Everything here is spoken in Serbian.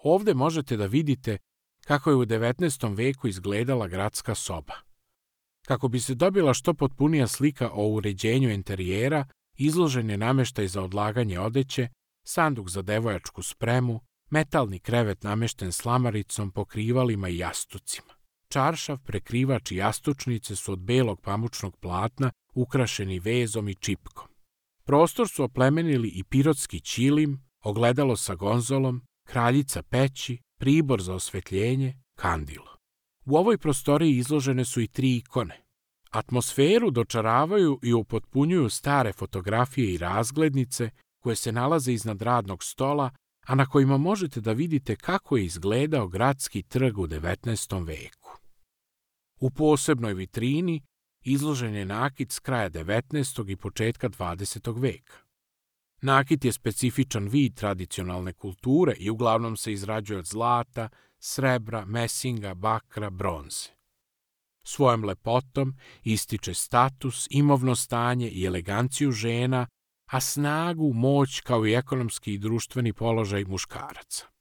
Ovde možete da vidite kako je u 19. veku izgledala gradska soba. Kako bi se dobila što potpunija slika o uređenju interijera, izložen je nameštaj za odlaganje odeće, sanduk za devojačku spremu, metalni krevet namešten slamaricom, pokrivalima i jastucima. Čaršav, prekrivač i jastučnice su od belog pamučnog platna ukrašeni vezom i čipkom. Prostor su oplemenili i pirotski ćilim, ogledalo sa gonzolom, kraljica peći, pribor za osvetljenje, kandilo. U ovoj prostoriji izložene su i 3 ikone. Atmosferu dočaravaju i upotpunjuju stare fotografije i razglednice koje se nalaze iznad radnog stola, a na kojima možete da vidite kako je izgledao gradski trg u 19. veku. U posebnoj vitrini izložen je nakit s kraja 19. i početka 20. veka. Nakit je specifičan vid tradicionalne kulture i uglavnom se izrađuje od zlata, srebra, mesinga, bakra, bronze. Svojom lepotom ističe status, imovno stanje i eleganciju žena, a snagu, moć kao i ekonomski i društveni položaj muškaraca.